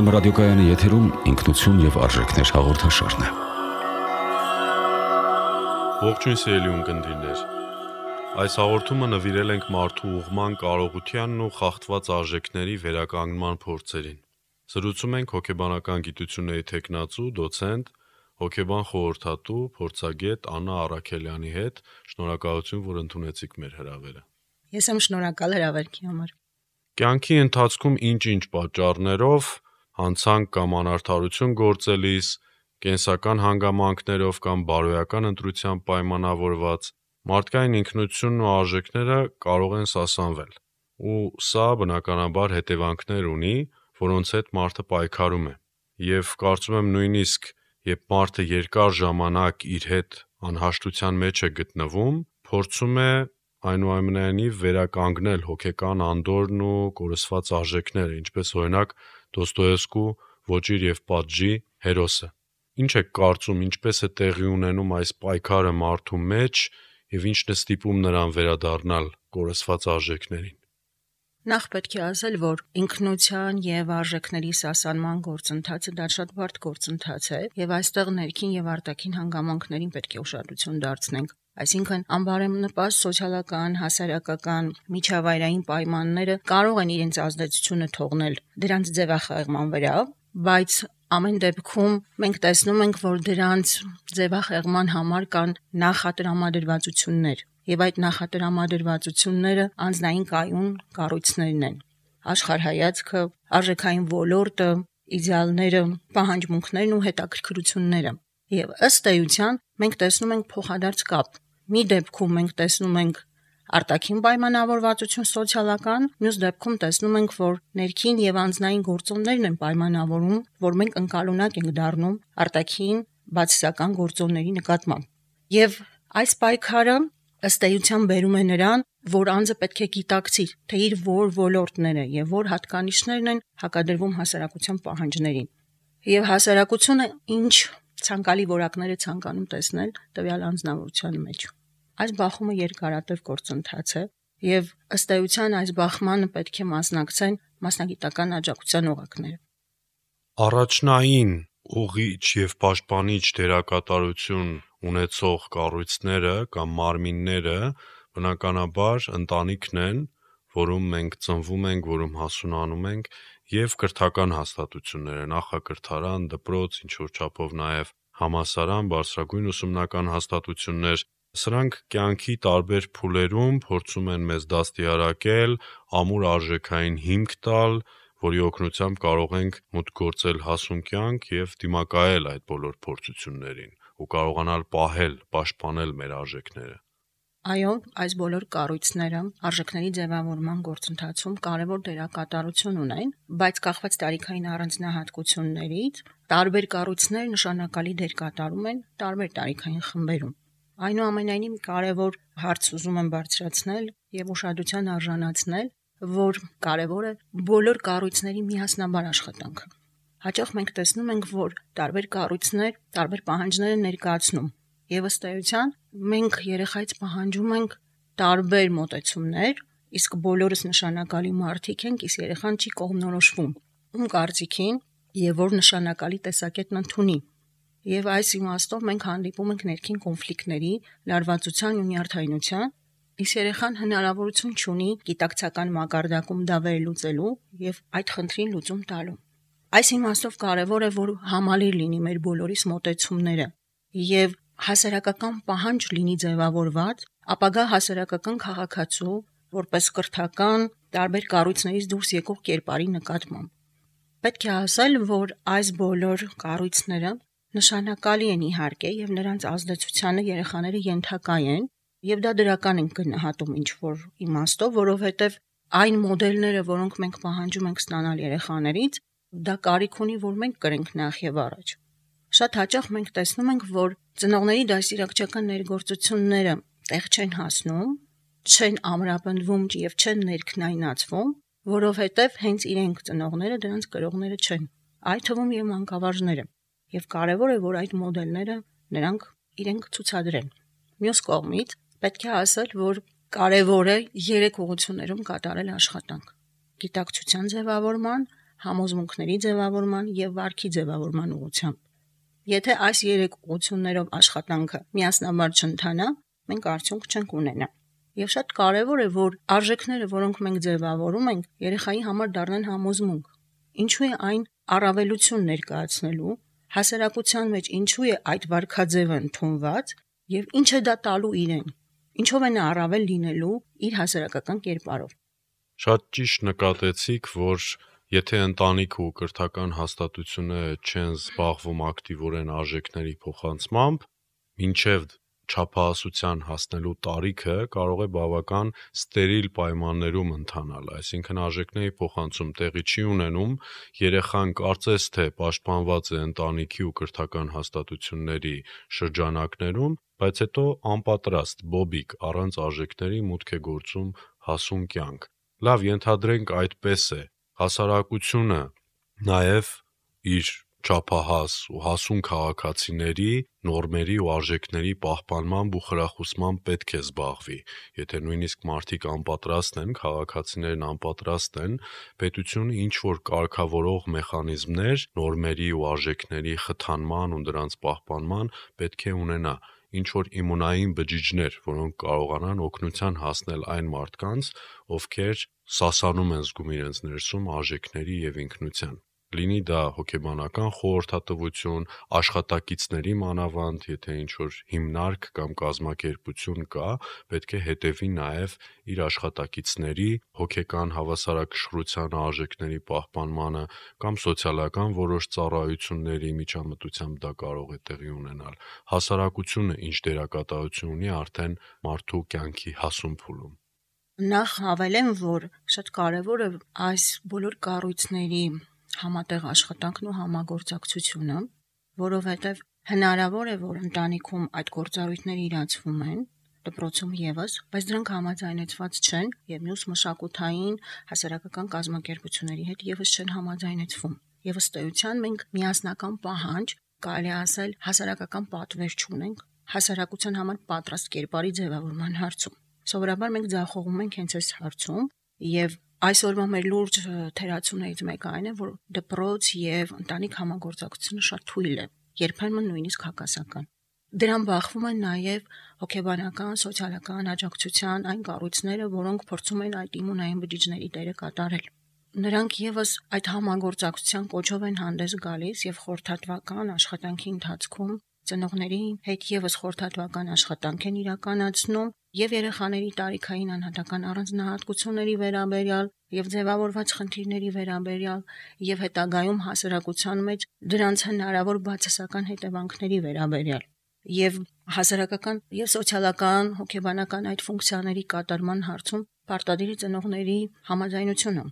Կրոնի ռադիոկայանի եթերում ինքնություն եւ արժեքներ հաղորդաշարն է։ Ողջույն սիրելի ունկնդիրներ։ Այս հաղորդումը նվիրել ենք մարդու ուղղման կարողությանն ու խախտված արժեքների վերականգնման փորձերին։ Զրուցում ենք հոգեբանական գիտությունների թեկնածու, դոցենտ, հոգեբան խորհրդատու, փորձագետ Աննա Առաքելյանի հետ։ Շնորհակալություն, որ ընդունեցիք մեր հրավերը։ Ես եմ շնորհակալ հրավերքի համար։ Կյանքի ընթացքում ինչ-ինչ պատճառներով հանցանք կամ անարդարություն գործելիս, կենսական հանգամանքներով կամ բարոյական ընտրությամբ պայմանավորված մարդկային ինքնությունն ու արժեքները կարող են սասանվել, ու սա բնականաբար հետևանքներ ունի, որոնց հետ մարդը պայքարում է, և կարծում եմ նույնիսկ երբ մարդը երկար ժամանակ իր հետ անհաշտության մեջ է գտնվում, փորձում է այնուամենայնիվ վերականգնել հոգեկան անդորրն ու կորսված արժեքները, ինչպես օրինակ Դոստոևսկու «Ոճիր և պատժի» հերոսը։ Ինչ եք կարծում, ինչպես է տեղի ունենում այս պայքարը մարդու մեջ և ինչն է ստիպում նրան վերադառնալ կորսված արժեքներին։ Նախ պետք է ասել, որ ինքնության եւ արժեքների սասանման գործընթացը դա շատ բարդ գործընթաց է, եւ այստեղ ներքին եւ արտաքին հանգամանքներին պետք է ուշադրություն դարձնենք։ Այսինքն անբարենպաստ սոցիալական, հասարակական, միջավայրային պայմանները կարող են իրենց ազդեցությունը թողնել դրանց ձևախեղման վրա, բայց ամեն դեպքում մենք տեսնում ենք, որ դրանց ձևախեղման համար կան նախատրամադրվածություններ, եւ այդ նախատրամադրվածությունները անձնային կայուն կառույցներն են։ Աշխարհայացքը, արժեքային ոլորտը, իդեալները, պահանջմունքներն ու հետաքրքրությունները։ Եվ ըստ էության մենք տեսնում ենք փոխադարձ կապ։ Մի դեպքում մենք տեսնում ենք արտաքին պայմանավորվածություն սոցիալական, մյուս դեպքում տեսնում ենք, որ ներքին եւ անձնային գործոններն են պայմանավորում, որ մենք ընկալունակ ենք դառնում արտաքին բացասական գործոնների նկատմամբ։ Եվ այս պայքարը ըստ էության բերում է նրան, որ անձը պետք է գիտակցի, թե իր որ ոլորտները եւ որ հատկանիշներն են հակադրվում հասարակության պահանջներին։ Եվ հասարակությունը ինչ ցանկալի որակներ է ցանկանում տեսնել տվյալ անձնավորության մեջ։ Այս բախումը երկարատև գործընթաց է, եւ ըստ էության այս բախմանը պետք է մասնակցեն մասնագիտական աջակցության օղակները։ Առաջնային ուղղիչ եւ պաշտպանիչ դերակատարություն ունեցող կառույցները կամ մարմինները բնականաբար ընտանիքն են, որում մենք ծնվում ենք, որում հասունանում ենք, եւ կրթական հաստատությունները, նախակրթարան, դպրոց, ինչ-որ չափով նաեւ համալսարան, բարձրագույն ուսումնական հաստատություններ։ Սրանք կյանքի տարբեր փուլերում փորձում են մեզ դաստիարակել, ամուր արժեքային հիմք տալ, որի օգնությամբ կարող ենք մուտք գործել հասուն կյանք եւ դիմակայել այդ բոլոր փորձություններին ու կարողանալ պահել, պաշտպանել մեր արժեքները։ Այո, այս բոլոր կառույցները արժեքների ձևավորման գործընթացում կարևոր դերակատարություն ունեն, բայց կախված տարիքային առանձնահատկություններից տարբեր կառույցներ նշանակալի դեր կատարում են տարբեր տարիքային խմբերում։ Այնուամենայնիվ կարևոր հարց ուզում եմ բարձրացնել եւ ուշադրության արժանացնել, որ կարևոր է բոլոր կառույցների միասնաբար աշխատանքը։ Հաճախ մենք տեսնում ենք, որ տարբեր կառույցներ տարբեր պահանջներ են ներկայացնում, եւ ըստ էության մենք երեխայից պահանջում ենք տարբեր մոտեցումներ, իսկ բոլորս նշանակալի մարդիկ ենք, իսկ երեխան չի կողմնորոշվում ում կարծիքին եւ որ նշանակալի տեսակետն ընդունի։ Եվ այս իմաստով մենք հանդիպում ենք ներքին կոնֆլիկտների, լարվածության ու նյարդայնության, իսկ երեխան հնարավորություն չունի գիտակցական մակարդակում դա վերլուծելու եւ այդ խնդրին լուծում տալու։ Այս իմաստով կարևոր է, որ համալիր լինի մեր բոլորիս մոտեցումները եւ հասարակական պահանջ լինի ձևավորված ապագա հասարակական քաղաքացու որպես կրթական տարբեր կառույցներից դուրս եկող կերպարի նկատմամբ։ Պետք է ասել, որ այս բոլոր կառույցները նշանակալի են իհարկե եւ նրանց ազդեցությանը երեխաները ենթակա են եւ դա դրական են գնահատում ինչ-որ իմաստով, որովհետեւ այն մոդելները, որոնք մենք պահանջում ենք ստանալ երեխաներից, դա կարիք ունի, որ մենք կրենք նախ եւ առաջ։ Շատ հաճախ մենք տեսնում ենք, որ ծնողների դաստիարակչական ներգործությունները տեղ չեն հասնում, չեն ամրապնդվում եւ չեն ներքնայնացվում, որովհետեւ հենց իրենք ծնողները դրանց կրողները չեն, այդ թվում եւ մանկավարժները։ Եվ կարևոր է, որ այդ մոդելները նրանք իրենք ցուցադրեն։ Մյուս կողմից պետք է ասել, որ կարևոր է 3 ուղղություններում կատարել աշխատանք՝ գիտակցության ձևավորման, համոզմունքների ձևավորման եւ վարքի ձևավորման ուղղությամբ։ Եթե այս 3 ուղղություններով աշխատանքը միասնաբար չընթանա, մենք արդյունք չենք ունենա։ Եվ շատ կարևոր է, որ արժեքները, որոնք մենք ձևավորում ենք, երեխայի համար դառնան համոզմունք։ Ինչու է այն առավելություն ներկայացնելու, հասարակության մեջ ինչու է այդ վարքաձևը ընդունված եւ ինչ է դա տալու իրեն, ինչով է նա առավել լինելու իր հասարակական կերպարով։ Շատ ճիշտ նկատեցիք, որ եթե ընտանիքը ու կրթական հաստատությունը չեն զբաղվում ակտիվորեն արժեքների փոխանցմամբ, մինչև չափահասության հասնելու տարիքը կարող է բավական ստերիլ պայմաններում ընթանալ, այսինքն արժեքների փոխանցում տեղի չի ունենում, երեխան կարծես թե պաշտպանված է ընտանիքի ու կրթական հաստատությունների շրջանակներում, բայց հետո անպատրաստ, բոբիկ, առանց արժեքների մուտք է գործում հասուն կյանք։ Լավ, ենթադրենք այդպես է, հասարակությունը նաև իր չափահաս ու հասուն քաղաքացիների նորմերի ու արժեքների պահպանմամբ ու խրախուսմամբ պետք է զբաղվի։ Եթե նույնիսկ մարդիկ անպատրաստ են, քաղաքացիներն անպատրաստ են, պետությունը ինչ-որ կարգավորող մեխանիզմներ նորմերի ու արժեքների խթանման ու դրանց պահպանման պետք է ունենա, ինչ-որ իմունային բջիջներ, որոնք կարողանան օգնության հասնել այն մարդկանց, ովքեր սասանում են զգում իրենց ներսում արժեքների և ինքնության։ Լինի դա հոգեբանական խորհրդատվություն, աշխատակիցների մանավանդ, եթե ինչ-որ հիմնարկ կամ կազմակերպություն կա, պետք է հետևի նաև իր աշխատակիցների հոգեկան հավասարակշռության արժեքների պահպանմանը կամ սոցիալական որոշ ծառայությունների միջամտությամբ դա կարող է տեղի ունենալ։ Հասարակությունը ինչ դերակատարություն ունի արդեն մարդու կյանքի հասուն փուլում։ Նախ հավելեմ, որ շատ կարևոր է այս բոլոր կառույցների համատեղ աշխատանքն ու համագործակցությունը, որովհետև հնարավոր է, որ ընտանիքում այդ գործառույթները իրացվում են, դպրոցում եւս, բայց դրանք համաձայնեցված չեն եւ մյուս մշակութային հասարակական կազմակերպությունների հետ եւս չեն համաձայնեցվում։ Եվ ըստ էության մենք միասնական պահանջ, կարելի ասել, հասարակական պատվեր չունենք հասարակության համար պատրաստ կերպարի ձևավորման հարցում։ Սովորաբար մենք ձախողում ենք հենց այս հարցում եւ այսօրվա մեր լուրջ թերացումներից մեկը այն է, որ դպրոց եւ ընտանիք համագործակցությունը շատ թույլ է, երբեմն նույնիսկ հակասական։ Դրան բախվում են նաեւ հոգեբանական, սոցիալական աջակցության այն կառույցները, որոնք փորձում են այդ իմունային բջիջների դերը կատարել։ Նրանք եւս այդ համագործակցության կոչով են հանդես գալիս եւ խորհրդատվական աշխատանքի ընթացքում ծնողների հետ եւս խորհրդատվական աշխատանք են իրականացնում եւ երեխաների տարիքային անհատական առանձնահատկությունների վերաբերյալ եւ ձևավորված խնդիրների վերաբերյալ եւ հետագայում հասարակության մեջ դրանց հնարավոր բացասական հետևանքների վերաբերյալ եւ հասարակական եւ սոցիալական հոգեբանական այդ ֆունկցիաների կատարման հարցում պարտադիր է ծնողների համաձայնությունը։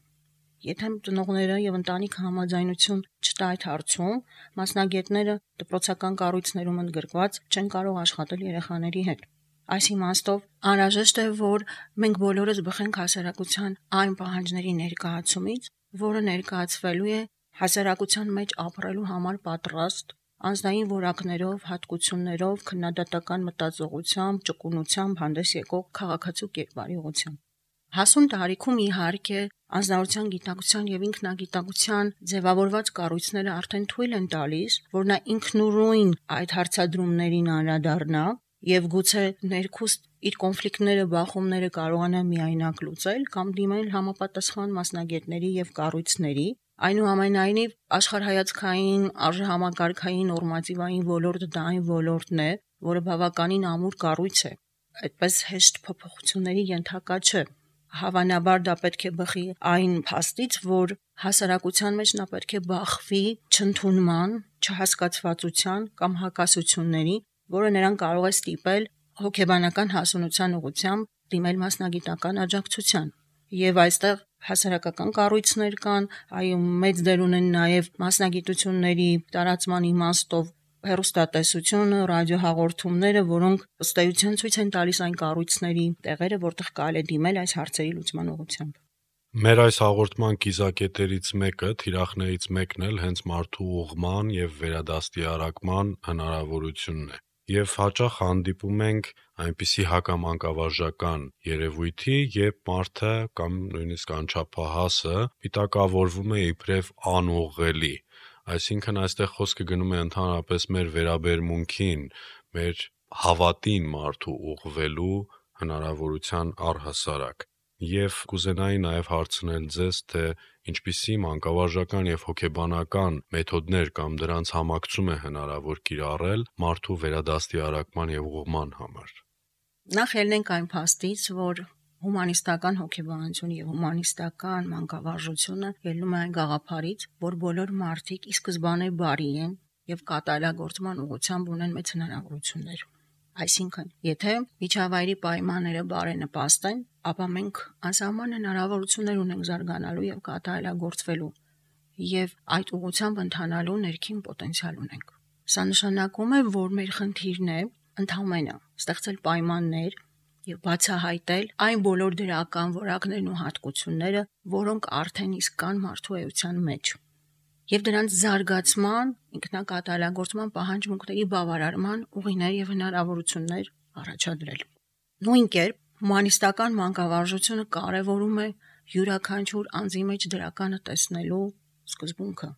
Եթե ծնողները եւ ընտանիքը համաձայնություն չտա այդ հարցում, մասնագետները դպրոցական կառույցներում ընդգրկված չեն կարող աշխատել երեխաների հետ։ Այս իմաստով անհրաժեշտ է, որ մենք բոլորս բխենք հասարակության այն պահանջների ներկայացումից, որը ներկայացվելու է հասարակության մեջ ապրելու համար պատրաստ, անձնային որակներով, հատկություններով, քննադատական մտածողությամբ, ճկունությամբ հանդես եկող քաղաքացու կերպարի ուղղությամբ։ Հասուն տարիքում իհարկե անձնավորության գիտակցության եւ ինքնագիտակցության ձևավորված կառույցները արդեն թույլ են տալիս, որ նա ինքնուրույն այդ հարցադրումներին անդրադառնա եւ գուցե ներքուստ իր կոնֆլիկտները, բախումները կարողանա միայնակ լուծել կամ դիմել համապատասխան մասնագետների եւ կառույցների, այնուամենայնիվ աշխարհայացքային, արժեհամակարգային, նորմատիվային ոլորտը դա այն ոլորտն է, որը բավականին ամուր կառույց է, այդպես հեշտ փոփոխությունների ենթակա չէ։ Հավանաբար դա պետք է բխի այն փաստից, որ հասարակության մեջ նա պետք է բախվի չընդունման, չհասկացվածության կամ հակասությունների, որը նրան կարող է ստիպել հոգեբանական հասունության ուղղությամբ դիմել մասնագիտական աջակցության։ Եվ այստեղ հասարակական կառույցներ կան, այո, մեծ դեր ունեն նաև մասնագիտությունների տարածման իմաստով հեռուստատեսությունը, ռադիոհաղորդումները, որոնք ըստ էության ցույց են տալիս այն կառույցների տեղերը, որտեղ կարելի է դիմել այս հարցերի լուծման ուղղությամբ։ Մեր այս հաղորդման կիզակետերից մեկը, թիրախներից մեկն էլ հենց մարդու ուղղման եւ վերադաստիարակման հնարավորությունն է։ Եվ հաճախ հանդիպում ենք այնպիսի հակամանկավարժական երևույթի, երբ մարդը կամ նույնիսկ անչափահասը պիտակավորվում է իբրև անուղղելի։ Այսինքն այստեղ խոսքը գնում է ընդհանրապես մեր վերաբերմունքին, մեր հավատին մարդու ուղղվելու հնարավորության առհասարակ։ Եվ կուզենայի նաև հարցնել ձեզ, թե ինչպիսի մանկավարժական եւ հոգեբանական մեթոդներ կամ դրանց համակցում է հնարավոր կիրառել մարդու վերադաստիարակման եւ ուղղման համար։ Նախ ելնենք այն փաստից, որ հումանիստական հոգեբանությունը եւ հումանիստական մանկավարժությունը ելնում է այն գաղափարից, որ բոլոր մարդիկ ի սկզբանե բարի են եւ կատարելագործման ուղղությամբ ունեն մեծ հնարավորություններ։ Այսինքն, եթե միջավայրի պայմանները բարենպաստ են, ապա մենք անսահման հնարավորություններ ունենք զարգանալու եւ կատարելագործվելու եւ այդ ուղղությամբ ընթանալու ներքին պոտենցիալ ունենք։ Սա նշանակում է, որ մեր խնդիրն է ընդհանրապես ստեղծել պայմաններ եւ բացահայտել այն բոլոր դրական որակներն ու հատկությունները, որոնք արդեն իսկ կան մարդու էության մեջ, եւ դրանց զարգացման, ինքնակատարելագործման պահանջմունքների բավարարման ուղիներ եւ հնարավորություններ առաջադրել։ Նույն կերպ հումանիստական մանկավարժությունը կարևորում է յուրաքանչյուր անձի մեջ դրականը տեսնելու սկզբունքը։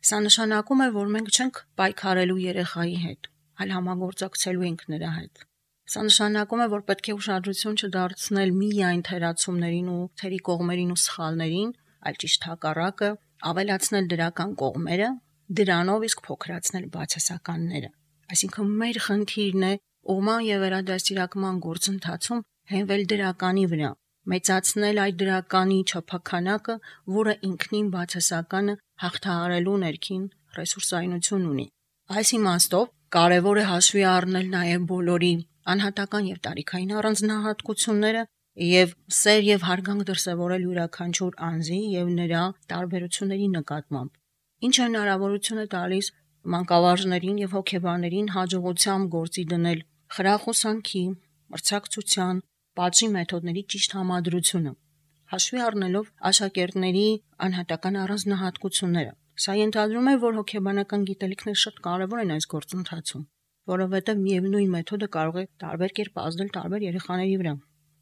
Սա նշանակում է, որ մենք չենք պայքարելու երեխայի հետ, այլ համագործակցելու ենք նրա հետ։ Սա նշանակում է, որ պետք է ուշադրություն չդարձնել միայն թերացումներին ու թերի կողմերին ու սխալներին, այլ ճիշտ հակառակը, ավելացնել դրական կողմերը, դրանով իսկ փոքրացնել բացասականները։ Այսինքն մեր խնդիրն է ուղղման եւ վերադաստիարակման գործընթացում հենվել դրականի վրա, մեծացնել այդ դրականի չափաքանակը, որը ինքնին բացասականը հաղթահարելու ներքին ռեսուրսայնություն ունի։ Այս իմաստով կարևոր է հաշվի առնել նաև բոլորի անհատական եւ տարիքային առանձնահատկությունները եւ սեր եւ հարգանք դրսեւորել յուրաքանչյուր անձի եւ նրա տարբերությունների նկատմամբ, ինչը հնարավորություն է տալիս մանկավարժներին եւ հոգեբաններին հաջողությամբ գործի դնել խրախուսանքի, մրցակցության, պատժի մեթոդների ճիշտ համադրությունը, հաշվի առնելով աշակերտների անհատական առանձնահատկությունները։ Սա ենթադրում է, որ հոգեբանական գիտելիքները շատ կարևոր են այս գործընթացում, որովհետև միևնույն մեթոդը կարող է տարբեր կերպ ազդել տարբեր երեխաների վրա։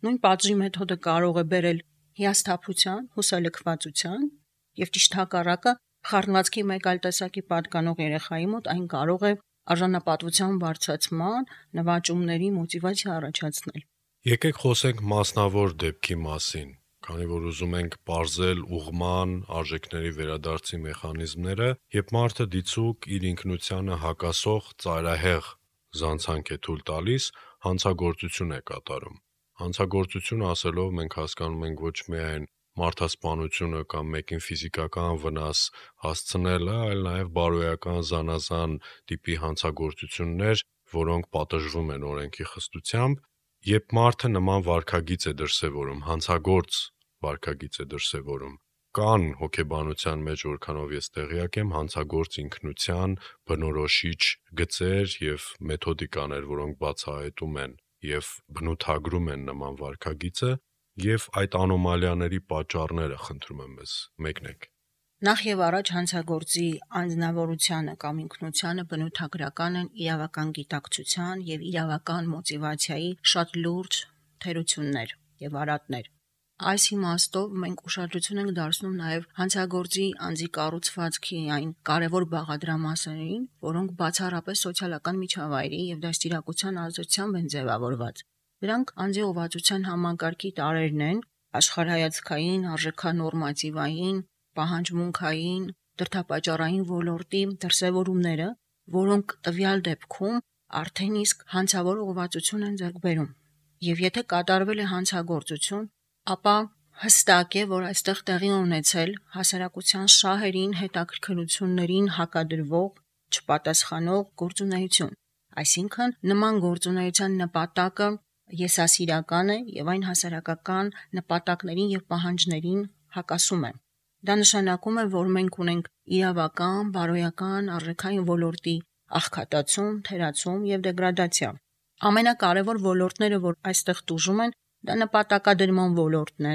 Նույն պատժի մեթոդը կարող է բերել հիասթափության, հուսալքվածության եւ ճիշտ հակառակը խառնվածքի մեկ այլ տեսակի պատկանող երեխայի մոտ այն կարող է արժանապատվության բարձրացման, նվաճումների մոտիվացիա առաջացնել։ Եկեք խոսենք մասնավոր դեպքի մասին, քանի որ ուզում ենք պարզել ուղղման, արժեքների վերադարձի մեխանիզմները, երբ մարդը դիցուկ իր ինքնությանը հակասող ծայրահեղ զանցանք է թույլ տալիս, հանցագործություն է կատարում։ Հանցագործություն ասելով մենք հասկանում ենք ոչ միայն մարդասպանությունը կամ մեկին ֆիզիկական վնաս հասցնելը, այլ նաև բարոյական զանազան տիպի հանցագործություններ, որոնք պատժվում են օրենքի խստությամբ, երբ մարդը նման վարքագիծ է դրսևորում, հանցագործ վարքագիծ է դրսևորում, կան հոգեբանության մեջ, որքանով ես տեղյակ եմ, հանցագործ ինքնության բնորոշիչ գծեր եւ մեթոդիկաներ, որոնք բացահայտում են եւ բնութագրում են նման վարքագիծը, եւ այդ անոմալիաների պատճառները խնդրում եմ ես մեկնեք։ Նախ եւ առաջ հանցագործի անձնավորությունը կամ ինքնությունը բնութագրական են իրավական գիտակցության եւ իրավական մոտիվացիայի շատ լուրջ թերություններ եւ արատներ։ Այս իմաստով մենք ուշադրություն ենք դարձնում նաև հանցագործի անձի կառուցվածքի այն կարևոր բաղադրամասերին, որոնք բացառապես սոցիալական միջավայրի եւ դաստիարակության ազդեցությամբ են ձևավորված։ Դրանք անձի ուղղվածության համակարգի տարրերն են, աշխարհայացքային, արժեքանորմատիվային, պահանջմունքային, դրդապատճառային ոլորտի դրսևորումները, որոնք տվյալ դեպքում արդեն իսկ հանցավոր ուղղվածություն են ձեռք բերում։ Եվ եթե կատարվել է հանցագործություն, ապա հստակ է, որ այստեղ տեղի ունեցել հասարակության շահերին, հետաքրքրություններին հակադրվող, չպատասխանող գործունեություն։ Այսինքն նման գործունեության նպատակը եսասիրական է եւ այն հասարակական նպատակներին եւ պահանջներին հակասում է։ Դա նշանակում է, որ մենք ունենք իրավական, բարոյական, արժեքային ոլորտի աղքատացում, թերացում եւ դեգրադացիա։ Ամենակարևոր ոլորտները, որ այստեղ տուժում են, դա նպատակադրման ոլորտն է,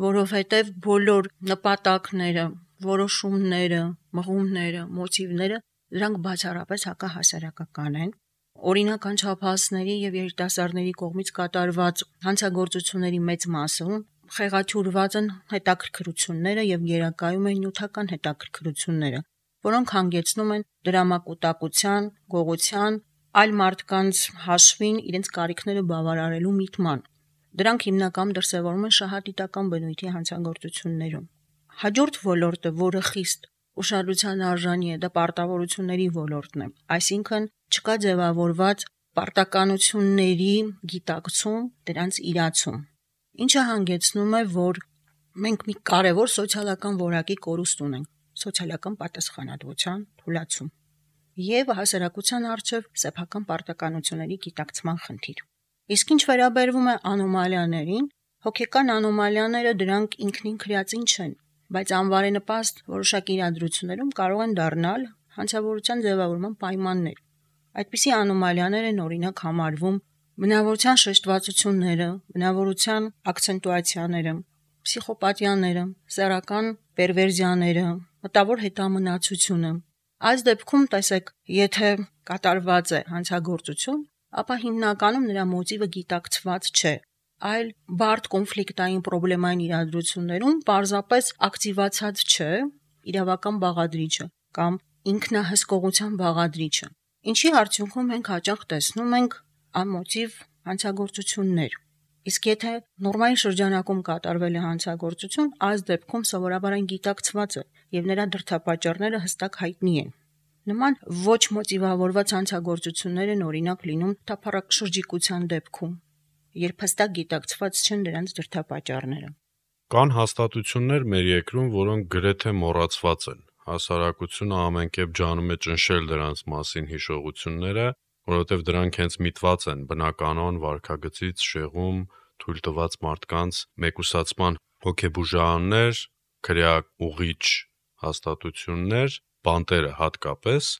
որովհետև բոլոր նպատակները, որոշումները, մղումները, մոտիվները դրանք բացառապես հակահասարակական են օրինական չափահասների եւ երիտասարդների կողմից կատարված հանցագործությունների մեծ մասը խեղաթյուրված են հետաքրքրությունները եւ գերակայում են նյութական հետաքրքրությունները, որոնք հանգեցնում են դրամակուտակության, գողության, այլ մարդկանց հաշվին իրենց կարիքները բավարարելու միտման։ Դրանք հիմնականում դրսևորվում են շահադիտական բնույթի հանցագործություններում։ Հաջորդ ոլորտը, որը խիստ ուշադրության արժանի է, դա պարտավորությունների ոլորտն է, այսինքն չկա ձևավորված պարտականությունների գիտակցում, դրանց իրացում, ինչը հանգեցնում է, որ մենք մի կարևոր սոցիալական որակի կորուստ ունենք, սոցիալական պատասխանատվության թուլացում եւ հասարակության առջև սեփական պարտականությունների գիտակցման խնդիր։ Իսկ ինչ վերաբերվում է անոմալիաներին, հոգեկան անոմալիաները դրանք ինքնին քրեածին չեն, բայց անվարենպաստ որոշակի իրադրություններում կարող են դառնալ հանցավորության ձևավորման պայմաններ։ Այդպիսի անոմալիաներ են օրինակ համարվում բնավորության շեշտվածությունները, բնավորության ակցենտուացիաները, պսիխոպաթիաները, սեռական պերվերզիաները, մտավոր հետամնացությունը։ Այս դեպքում տեսեք, եթե կատարված է հանցագործություն, ապա հիմնականում նրա մոտիվը գիտակցված չէ, այլ բարդ կոնֆլիկտային պրոբլեմային իրադրություններում պարզապես ակտիվացած չէ իրավական բաղադրիչը կամ ինքնահսկողության բաղադրիչը, ինչի արդյունքում մենք հաճախ տեսնում ենք անմոտիվ հանցագործություններ։ Իսկ եթե նորմալ շրջանակում կատարվել է հանցագործություն, այս դեպքում սովորաբար այն գիտակցված է եւ նրա դրդապատճառները հստակ հայտնի են։ Նման ոչ մոտիվավորված հանցագործություններ են օրինակ լինում թափառաշրջիկության դեպքում, երբ հստակ գիտակցված չեն դրանց դրդապատճառները։ Կան հաստատություններ մեր երկրում, որոնք գրեթե մոռացված են։ Հասարակությունը ամենքեւ ջանում է ճնշել դրանց մասին հիշողությունները, որովհետև դրանք հենց միտված են բնականon վարքագծից շեղում թույլ տված մարդկանց մեկուսացման հոգեբուժարաններ, քրեաուղիչ հաստատություններ, բանտերը հատկապես,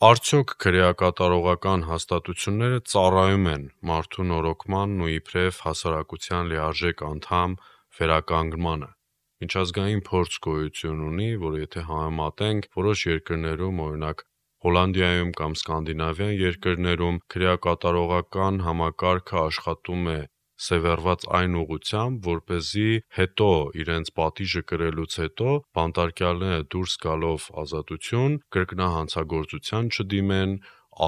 արդյոք քրեակատարողական հաստատությունները ծառայում են մարդու նորոգմանն ու իբրև հասարակության լիարժեք անդամ վերականգնմանը։ Միջազգային փորձ գոյություն ունի, որ եթե համեմատենք որոշ երկրներում, օրինակ Հոլանդիայում կամ Սկանդինավյան երկրներում քրեակատարողական համակարգը աշխատում է սևեռված այն ուղղությամբ, որպեսզի հետո իրենց պատիժը կրելուց հետո բանտարկյալները դուրս գալով ազատություն կրկնահանցագործության չդիմեն,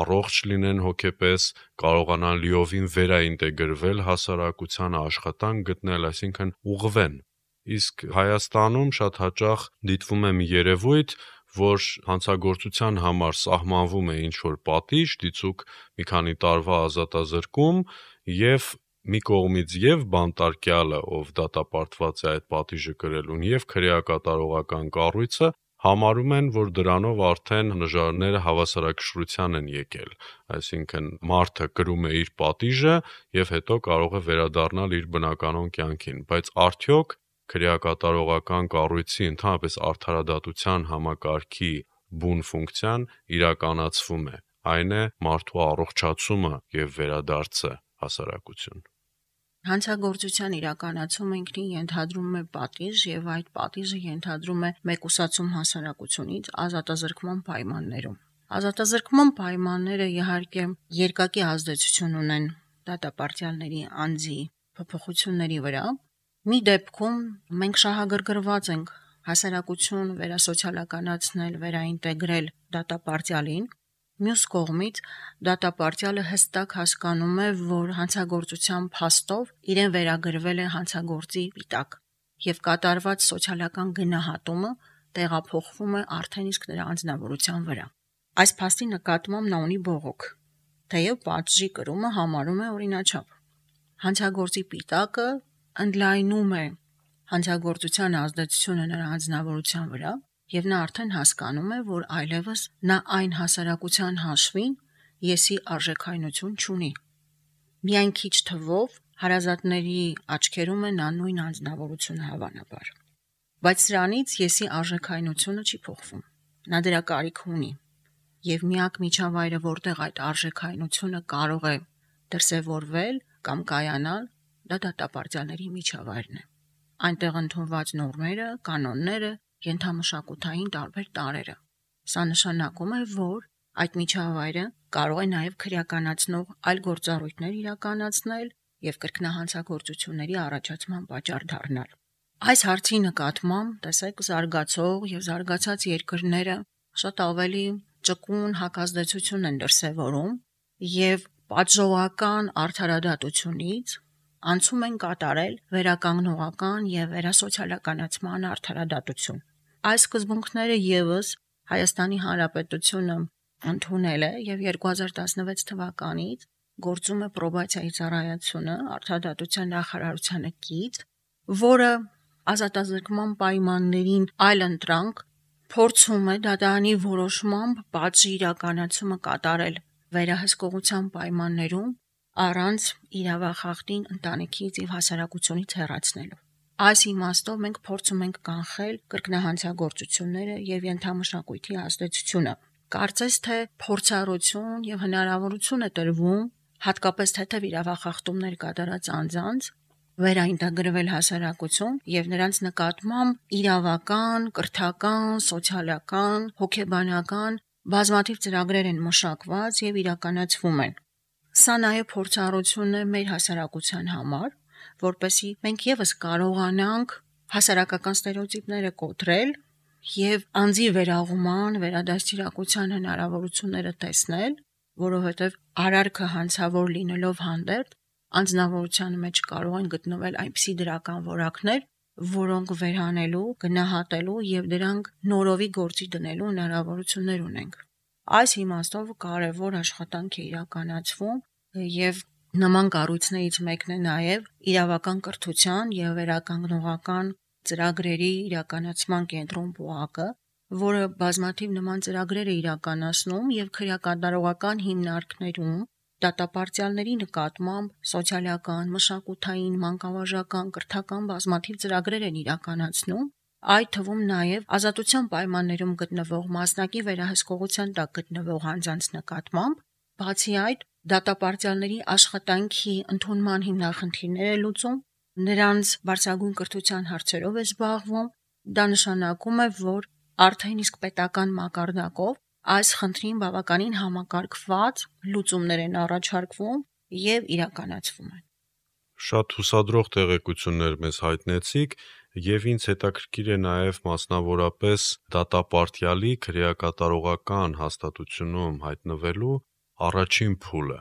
առողջ լինեն հոգեպես, կարողանան լիովին վերաինտեգրվել հասարակությանը, աշխատանք գտնել, այսինքն ուղղվեն։ Իսկ Հայաստանում շատ հաճախ դիտվում է մի երևույթ, որ հանցագործության համար սահմանվում է ինչ-որ պատիժ, դիցուք մի քանի տարվա ազատազրկում եւ մի կողմից եւ բանտարկյալը, ով դատապարտված է այդ պատիժը կրելուն, եւ քրեակատարողական կառույցը համարում են, որ դրանով արդեն նժարները հավասարակշռության են եկել, այսինքն մարդը կրում է իր պատիժը եւ հետո կարող է վերադառնալ իր բնականon կյանքին, բայց արդյոք քրեակատարողական կառույցի ընդհանրապես արդարադատության համակարգի բուն ֆունկցիան իրականացվում է, այն է մարդու առողջացումը եւ վերադարձը հասարակություն։ Հանցագործության իրականացումը ինքնին ենթադրում է պատիժ եւ այդ պատիժը ենթադրում է մեկուսացում հասարակությունից ազատազրկման պայմաններում։ Ազատազրկման պայմանները իհարկե երկակի ազդեցություն ունեն դատապարտյալների անձի փոփոխությունների վրա։ Մի դեպքում մենք շահագրգռված ենք հասարակություն վերասոցիալականացնել, վերաինտեգրել դատապարտյալին, մյուս կողմից դատապարտյալը հստակ հասկանում է, որ հանցագործության փաստով իրեն վերագրվել է հանցագործի պիտակ եւ կատարված սոցիալական գնահատումը տեղափոխվում է արդեն իսկ նրա անձնավորության վրա։ Այս փաստի նկատմամբ նա ունի բողոք, թեև պատժի կրումը համարում է օրինաչափ։ Հանցագործի պիտակը ընդլայնում է հանցագործության ազդեցությունը նրա անձնավորության վրա եւ նա արդեն հասկանում է, որ այլևս նա այն հասարակության հաշվին եսի արժեքայնություն չունի։ Միայն քիչ թվով հարազատների աչքերում է նա նույն անձնավորությունը հավանաբար։ Բայց սրանից եսի արժեքայնությունը չի փոխվում։ Նա դրա կարիք ունի եւ միակ միջավայրը, որտեղ այդ արժեքայնությունը կարող է դրսևորվել կամ կայանալ, դա դատապարտյալների միջավայրն է։ Այնտեղ ընդունված նորմերը, կանոնները, ենթամշակութային տարբեր տարրերը։ Սա նշանակում է, որ այդ միջավայրը կարող է նաև քրեականացնող այլ գործառույթներ իրականացնել եւ կրկնահանցագործությունների առաջացման պատճառ դառնալ։ Այս հարցի նկատմամբ տեսեք զարգացող եւ զարգացած երկրները շատ ավելի ճկուն հակազդեցություն են դրսևորում եւ պատժողական արդարադատությունից անցում են կատարել վերականգնողական եւ վերասոցիալականացման արդարադատություն։ Այս սկզբունքները եւս Հայաստանի Հանրապետությունը ընդունել է եւ 2016 թվականից գործում է պրոբացիայի ծառայությունը արդարադատության նախարարությանը կից, որը ազատազրկման պայմաններին այլընտրանք փորձում է դատարանի որոշմամբ պատժի իրականացումը կատարել վերահսկողության պայմաններում առանց իրավախախտին ընտանիքից եւ հասարակությունից հեռացնելու։ Այս իմաստով մենք փորձում ենք կանխել կրկնահանցագործությունները եւ ենթամշակույթի ազդեցությունը։ Կարծես թե փորձառություն եւ հնարավորություն է տրվում հատկապես թեթև իրավախախտումներ կատարած անձանց վերաինտեգրվել հասարակություն եւ նրանց նկատմամբ իրավական, կրթական, սոցիալական, հոգեբանական բազմաթիվ ծրագրեր են մշակված եւ իրականացվում են։ Սա նաեւ փորձառություն է մեր հասարակության համար, որպեսզի մենք եւս կարողանանք հասարակական ստերեոտիպները կոտրել եւ անձի վերաղման, վերադաստիարակության հնարավորությունները տեսնել, որովհետեւ արարքը հանցավոր լինելով հանդերձ անձնավորության մեջ կարող են գտնվել այնպիսի դրական որակներ, որոնք վերանելու, գնահատելու եւ դրանք նորովի գործի դնելու հնարավորություններ ունենք։ Այս իմաստով կարևոր աշխատանք է իրականացվում եւ նման կառույցներից մեկն է նաեւ իրավական կրթության եւ վերականգնողական ծրագրերի իրականացման կենտրոն ՊՈԱԿ-ը, որը բազմաթիվ նման ծրագրեր է իրականացնում եւ քրեակատարողական հիմնարկներում դատապարտյալների նկատմամբ սոցիալական, մշակութային, մանկավարժական, կրթական բազմաթիվ ծրագրեր են իրականացնում, այդ թվում նաև ազատության պայմաններում գտնվող մասնակի վերահսկողության տակ գտնվող անձանց նկատմամբ, բացի այդ դատապարտյալների աշխատանքի ընդունման հիմնախնդիրներ է լուծում, նրանց բարձրագույն կրթության հարցերով է զբաղվում, դա նշանակում է, որ արդեն իսկ պետական մակարդակով այս խնդրին բավականին համակարգված լուծումներ են առաջարկվում եւ իրականացվում են։ Շատ հուսադրող տեղեկություններ մեզ հայտնեցիք եւ ինձ հետաքրքիր է նաեւ մասնավորապես դատապարտյալի քրեակատարողական հաստատությունում հայտնվելու առաջին փուլը,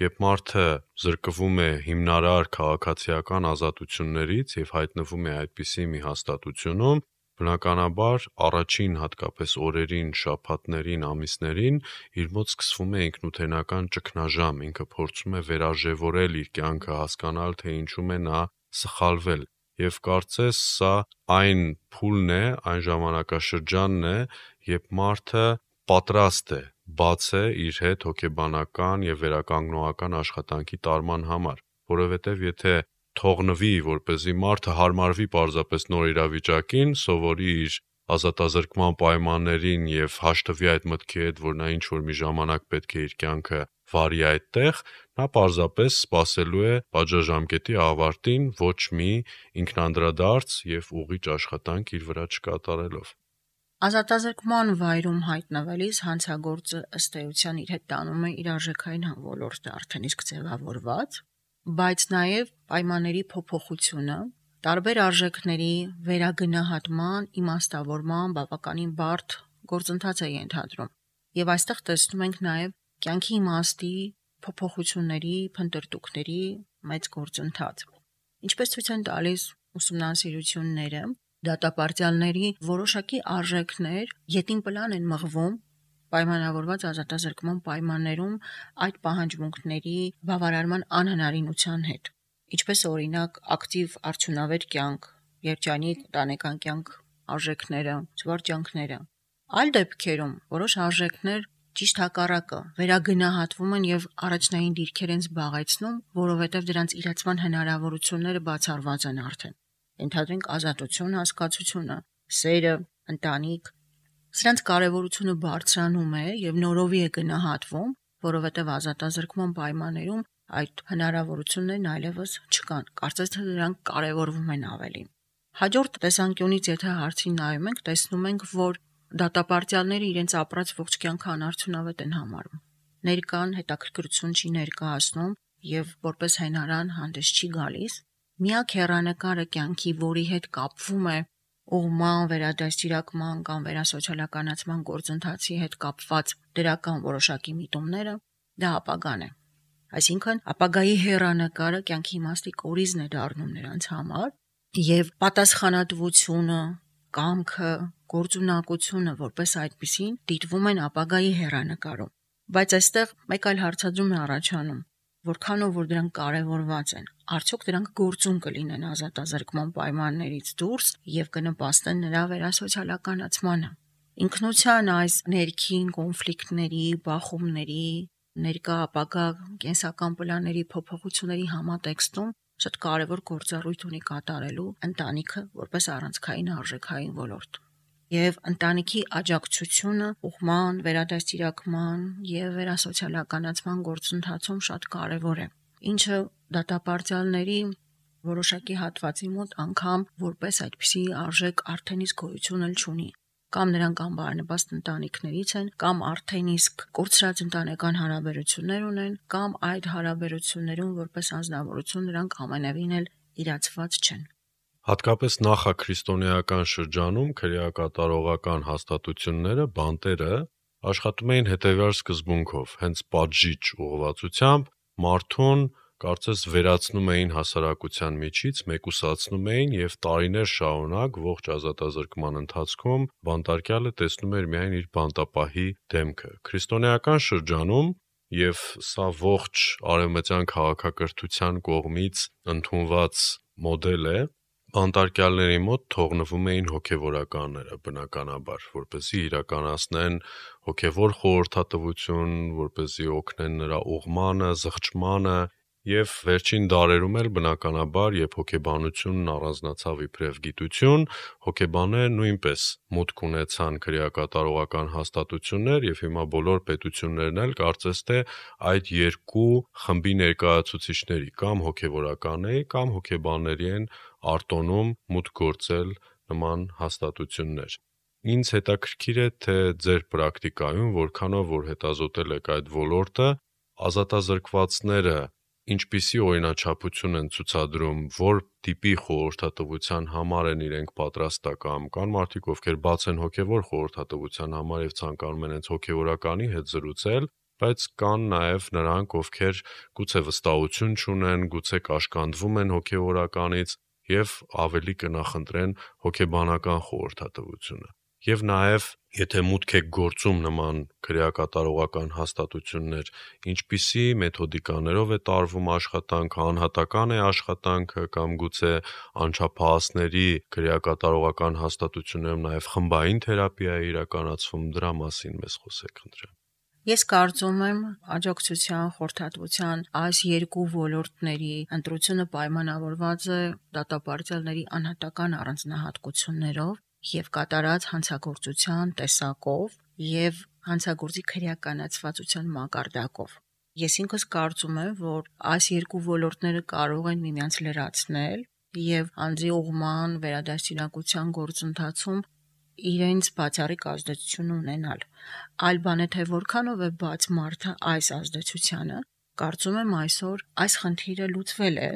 երբ մարդը զրկվում է հիմնարար քաղաքացիական ազատություններից եւ հայտնվում է այդպիսի մի հաստատությունում, բնականաբար առաջին հատկապես օրերին, շաբաթներին, ամիսներին իր մոտ սկսվում է ինքնութենական ճգնաժամ, ինքը փորձում է վերարժևորել իր կյանքը, հասկանալ թե ինչում է նա սխալվել եւ կարծես սա այն փուլն է, այն ժամանակաշրջանն է, երբ մարդը պատրաստ է բաց է իր հետ հոգեբանական եւ վերականգնողական աշխատանքի տարման համար, որովհետեւ եթե թողնվի, որպեսզի մարդը հարմարվի պարզապես նոր իրավիճակին, սովորի իր ազատազրկման պայմաններին եւ հաշտվի այդ մտքի հետ, որ նա ինչ որ մի ժամանակ պետք է իր կյանքը վարի այդտեղ, նա պարզապես սպասելու է պատժաժամկետի ավարտին ոչ մի ինքնանդրադարձ եւ ուղիղ աշխատանք իր վրա չկատարելով։ Ազատազրկման վայրում հայտնվելիս հանցագործը ըստ էության իր հետ տանում է իր արժեքային ոլորտը արդեն իսկ ձևավորված, բայց նաև պայմանների փոփոխությունը, տարբեր արժեքների վերագնահատման, իմաստավորման բավականին բարդ գործընթաց է ենթադրում։ Եվ այստեղ տեսնում ենք նաև կյանքի իմաստի փոփոխությունների, փնտրտուքների մեծ գործընթաց։ Ինչպես ցույց են տալիս ուսումնասիրությունները, դատապարտյալների որոշակի արժեքներ ետին պլան են մղվում պայմանավորված ազատազրկման պայմաններում այդ պահանջմունքների բավարարման անհնարինության հետ, ինչպես օրինակ ակտիվ արդյունավետ կյանք, երջանիկ ընտանեկան կյանք արժեքները, զվարճանքները։ Այլ դեպքերում որոշ արժեքներ ճիշտ հակառակը վերագնահատվում են եւ առաջնային դիրքեր են զբաղեցնում, որովհետեւ դրանց իրացման հնարավորությունները բացառված են արդեն։ Ենթադրենք ազատություն հասկացությունը, սերը, ընտանիք, սրանց կարևորությունը բարձրանում է եւ նորովի է գնահատվում, որովհետեւ ազատազրկման պայմաններում այդ հնարավորություններն այլևս չկան, կարծես թե դրանք կարևորվում են ավելի։ Հաջորդ տեսանկյունից եթե հարցին նայում ենք, տեսնում ենք, որ դատապարտյալները իրենց ապրած ողջ կյանքը անարդյունավետ են համարում։ Ներկան հետաքրքրություն չի ներկայացնում եւ որպես հենարան հանդես չի գալիս։ Միակ հեռանկարը կյանքի, որի հետ կապվում է ուղման, վերադաստիարակման կամ վերասոցիալականացման գործընթացի հետ կապված դրական որոշակի միտումները, դա ապագան է։ Այսինքն, ապագայի հեռանկարը կյանքի իմաստի կորիզն է դառնում նրանց համար, եւ պատասխանատվությունը, կամքը, գործունակությունը որպես այդպիսին դիտվում են ապագայի հեռանկարում։ Բայց այստեղ մեկ այլ հարցադրում է առաջանում. որքանով որ դրանք կարևորված են, արդյոք դրանք գործուն կլինեն ազատազրկման պայմաններից դուրս եւ կնպաստեն նրա վերասոցիալականացմանը։ Ինքնության այս ներքին կոնֆլիկտների, բախումների, ներկա ապագա կենսական պլանների փոփոխությունների համատեքստում շատ կարևոր գործառույթ ունի կատարելու ընտանիքը որպես առանցքային արժեքային ոլորտ։ Եվ ընտանիքի աջակցությունը ուղղման, վերադաստիարակման եւ վերասոցիալականացման գործընթացում շատ կարևոր է, ինչը դատապարտյալների որոշակի հատվածի մոտ անգամ որպես այդպիսի արժեք արդեն իսկ գոյություն չունի։ Կամ նրանք անբարենպաստ ընտանիքներից են, կամ արդեն իսկ կորցրած ընտանեկան հարաբերություններ ունեն, կամ այդ հարաբերություններում որպես անձնավորություն նրանք ամենևին էլ իրացված չեն։ Հատկապես նախաքրիստոնեական շրջանում քրեակատարողական հաստատությունները, բանտերը աշխատում էին հետևյալ սկզբունքով, հենց պատժիչ ուղղվածությամբ մարդուն կարծես վերացնում էին հասարակության միջից, մեկուսացնում էին եւ տարիներ շարունակ ողջ ազատազրկման ընթացքում բանտարկյալը տեսնում էր միայն իր բանտապահի դեմքը։ Քրիստոնեական շրջանում եւ սա ողջ արևմտյան քաղաքակրթության կողմից ընդունված մոդել է, բանտարկյալների մոտ թողնվում էին հոգևորականները բնականաբար, որպեսզի իրականացնեն հոգևոր խորհրդատվություն, որպեսզի օգնեն նրա ուղմանը, զղջմանը եւ վերջին դարերում էլ բնականաբար, երբ հոգեբանությունն առանձնացավ իբրև գիտություն, հոգեբանները նույնպես մուտք ունեցան քրեակատարողական հաստատություններ եւ հիմա բոլոր պետություններն էլ կարծես թե այդ երկու խմբի ներկայացուցիչների կամ հոգևորականների կամ հոգեբանների են արտոնում մուտք գործել նման հաստատություններ։ Ինձ հետաքրքիր է, թե ձեր պրակտիկայում որքանով որ հետազոտել եք այդ ոլորտը, ազատազրկվածները ինչպիսի օրինաչափություն են ցուցադրում, որ տիպի խորհրդատվության համար են իրենք պատրաստական, կան մարդիկ, ովքեր բաց են հոգևոր խորհրդատվության համար եւ ցանկանում են հենց հոգևորականի հետ զրուցել, բայց կան նաեւ նրանք, ովքեր գուցե վստահություն չունեն, գուցե կաշկանդվում են հոգևորականից եւ ավելի կնախընտրեն հոգեբանական խորհրդատվությունը։ Եվ նաեւ, եթե մուտք եք գործում նման քրեակատարողական հաստատություններ, ինչպիսի մեթոդիկաներով է տարվում աշխատանքը, անհատական է աշխատանքը կամ գուցե անչափահասների քրեակատարողական հաստատություններում նաեւ խմբային թերապիա է իրականացվում, դրա մասին մեզ խոսեք խնդրեմ։ Ես կարծում եմ աջակցության, խորհրդատվության այս երկու ոլորտների ընտրությունը պայմանավորված է դատապարտյալների անհատական առանձնահատկություններով եւ կատարած հանցագործության տեսակով եւ հանցագործի քրեականացվածության մակարդակով։ Ես ինքս կարծում եմ, որ այս երկու ոլորտները կարող են միմյանց լրացնել եւ անձի ուղղման, վերադաստիարակության գործընթացում իրենց բացառիկ ազդեցություն ունենալ։ Այլ բան է, թե որքանով է բաց մարդը այս ազդեցությանը, կարծում եմ այսօր այս խնդիրը լուծվել է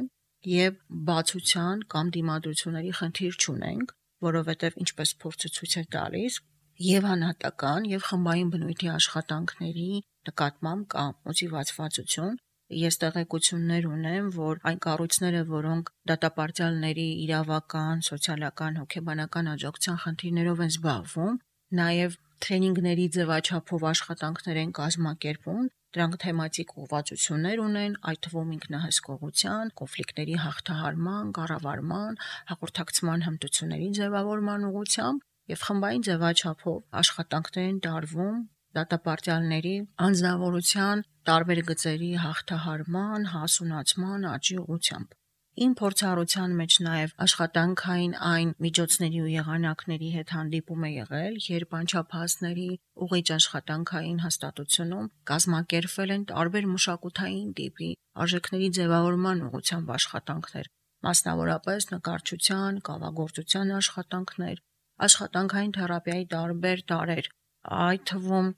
եւ բացության կամ դիմադրությունների խնդիր չունենք, որովհետեւ ինչպես փորձը ցույց է տալիս, եւ հանրատական եւ խմբային բնույթի աշխատանքների նկատմամբ կա մոտիվացվածություն։ Ես տեղեկություններ ունեմ, որ այն կառույցները, որոնք դատապարտյալների իրավական, սոցիալական, հոգեբանական աջակցության խնդիրներով են զբաղվում, նաև տրեյնինգների ձևաչափով աշխատանքներ են կազմակերպում, դրանք թեմատիկ ուղղվածություններ ունեն, այդ թվում ինքնահսկողության, կոնֆլիկտների հաղթահարման, կառավարման, հաղորդակցման հմտությունների ձևավորման ուղղությամբ եւ խմբային ձևաչափով աշխատանքներ են տարվում դատապարտյալների անձնավորության տարբեր գծերի հաղթահարման, հասունացման, աճի ուղղությամբ։ Իմ փորձառության մեջ նաև աշխատանքային այն միջոցների ու եղանակների հետ հանդիպում է եղել, երբ անչափահասների ուղիղ աշխատանքային հաստատությունում կազմակերպվել են տարբեր մշակութային տիպի արժեքների ձևավորման ուղղությամբ աշխատանքներ, մասնավորապես նկարչության, կավագործության աշխատանքներ, աշխատանքային թերապիայի տարբեր տարրեր, այդ թվում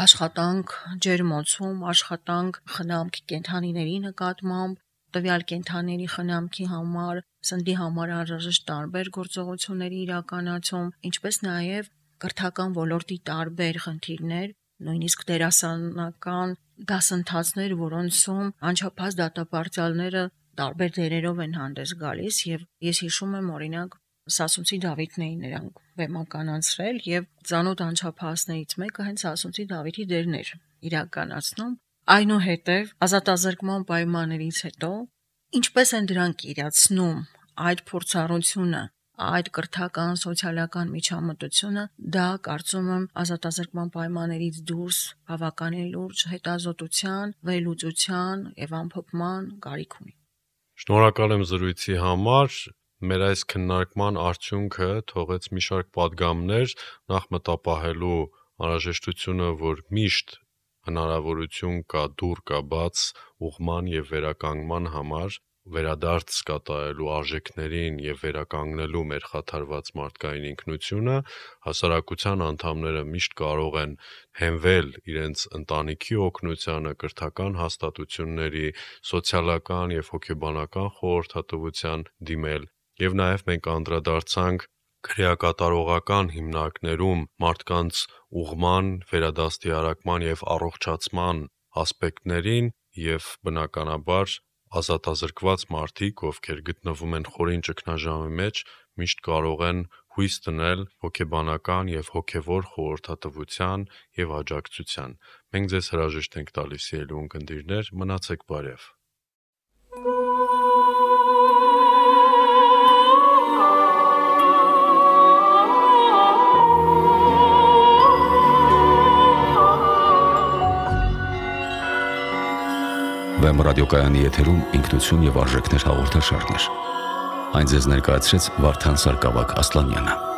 աշխատանք ջերմոցում, աշխատանք խնամք կենդանիների նկատմամբ, տվյալ կենդանիների խնամքի համար, սննդի համար անհրաժեշտ տարբեր գործողությունների իրականացում, ինչպես նաև կրթական ոլորտի տարբեր խնդիրներ, նույնիսկ դերասանական դասընթացներ, որոնցում անչափահաս դատապարտյալները տարբեր դերերով են հանդես գալիս, եւ ես հիշում եմ օրինակ Սասունցի Դավիթն էին նրանք բեմականացրել եւ ծանոթ անչափահասներից մեկը հենց Սասունցի Դավիթի դերն էր իրականացնում, այնուհետև ազատազրկման պայմաններից հետո ինչպես են դրանք իրացնում այդ փորձառությունը, այդ կրթական սոցիալական միջամտությունը, դա կարծում եմ ազատազրկման պայմաններից դուրս բավականին լուրջ հետազոտության, վերլուծության եւ ամփոփման կարիք ունի։ Շնորհակալ եմ զրույցի համար։ Մեր այս քննարկման արդյունքը թողեց մի շարք պատգամներ, նախ մտապահելու անհրաժեշտությունը, որ միշտ հնարավորություն կա, դուռ կա բաց ուղղման եւ վերականգնման համար, վերադարձ կատարելու արժեքներին եւ վերականգնելու մեր խաթարված մարդկային ինքնությունը, հասարակության անդամները միշտ կարող են հենվել իրենց ընտանիքի օգնությանը, կրթական հաստատությունների, սոցիալական եւ հոգեբանական խորհրդատվության դիմել, եւ նաեւ մենք անդրադարձանք քրեակատարողական հիմնարկներում մարդկանց ուղղման, վերադաստիարակման եւ առողջացման ասպեկտներին եւ բնականաբար ազատազրկված մարդիկ, ովքեր գտնվում են խորին ճգնաժամի մեջ, միշտ կարող են հույս դնել հոգեբանական եւ հոգեվոր խորհրդատվության եւ աջակցության։ Մենք ձեզ հրաժեշտ ենք տալիս, ելուն կնդիրներ, մնացեք բարև։ Վեմ ռադիոկայանի եթերում ինքնություն եւ արժեքներ հաղորդաշարներ։ Այն ձեզ ներկայացրեց Վարդան Սարգսակ Ասլանյանը։